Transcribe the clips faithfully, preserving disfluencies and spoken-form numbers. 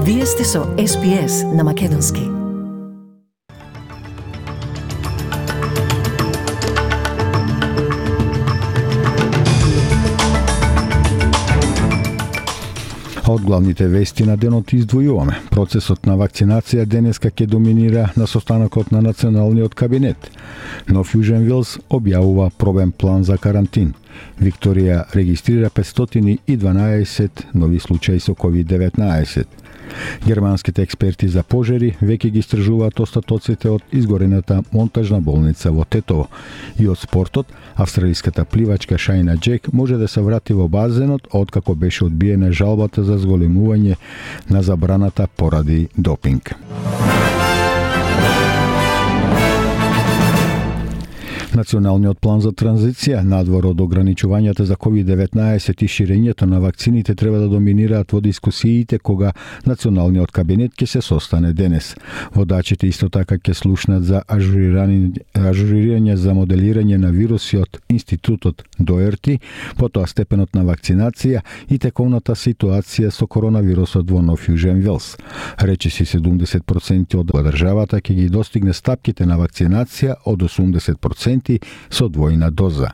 Вие сте со Ес Би Ес на Македонски. Од главните вести на денот издвојуваме. Процесот на вакцинација денеска ќе доминира на состанокот на Националниот кабинет. Нов Јужен Велс објавува пробен план за карантин. Викторија регистрира петстотини и дванаесет нови случаи со ковид деветнаесет. Германските експерти за пожари веќе ги истражуваат остатоците од изгорената монтажна болница во Тетово. И од спортот, австралиската пливачка Шајна Джек може да се врати во базенот откако беше одбиена жалбата за зголемување на забраната поради допинг. Националниот план за транзиција, надвор од ограничувањата за ковид деветнаесет и ширењето на вакцините треба да доминираат во дискусиите кога Националниот кабинет ќе се состане денес. Водачите исто така ќе слушнат за ажурирање за моделирање на вируси од Институтот Доерти, потоа степенот на вакцинација и тековната ситуација со коронавирусот во Нов Јужен Велс. Речиси седумдесет проценти од државата ќе ги достигне стапките на вакцинација од осумдесет проценти со двојна доза.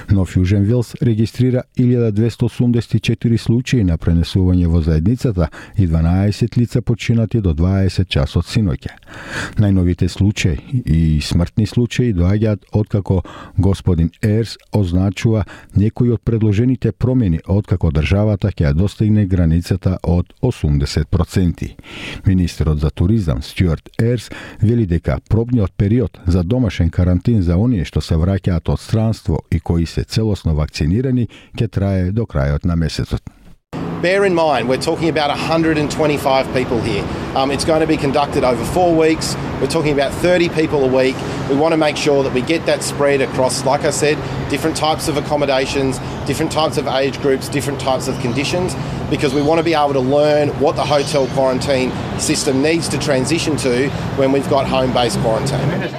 Нов Јужен Велс регистрира илјада двесте осумдесет и четири случаи на пренесување во заедницата и дванаесет лица починати до дваесет часот синоќа. Најновите случаи и смртни случаи доаѓаат откако господин Ерс означува некои од предложените промени откако државата ќе ја достигне границата од осумдесет проценти. Министерот за туризам Стюарт Ерс вели дека пробниот период за домашен карантин за оние што се враќаат од странство и кои се целосно вакцинирани ќе трае до крајот на месецот. Bear in mind, we're talking about one hundred twenty-five people here. Um, it's going to be conducted over four weeks. We're talking about thirty people a week. We want to make sure that we get that spread across, like I said, different types of accommodations, different types of age groups, different types of conditions, because we want to be able to learn what the hotel quarantine system needs to transition to when we've got home-based quarantine.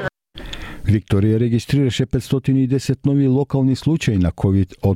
Викторија регистрираше петстотини и десет нови локални случаи на ковид од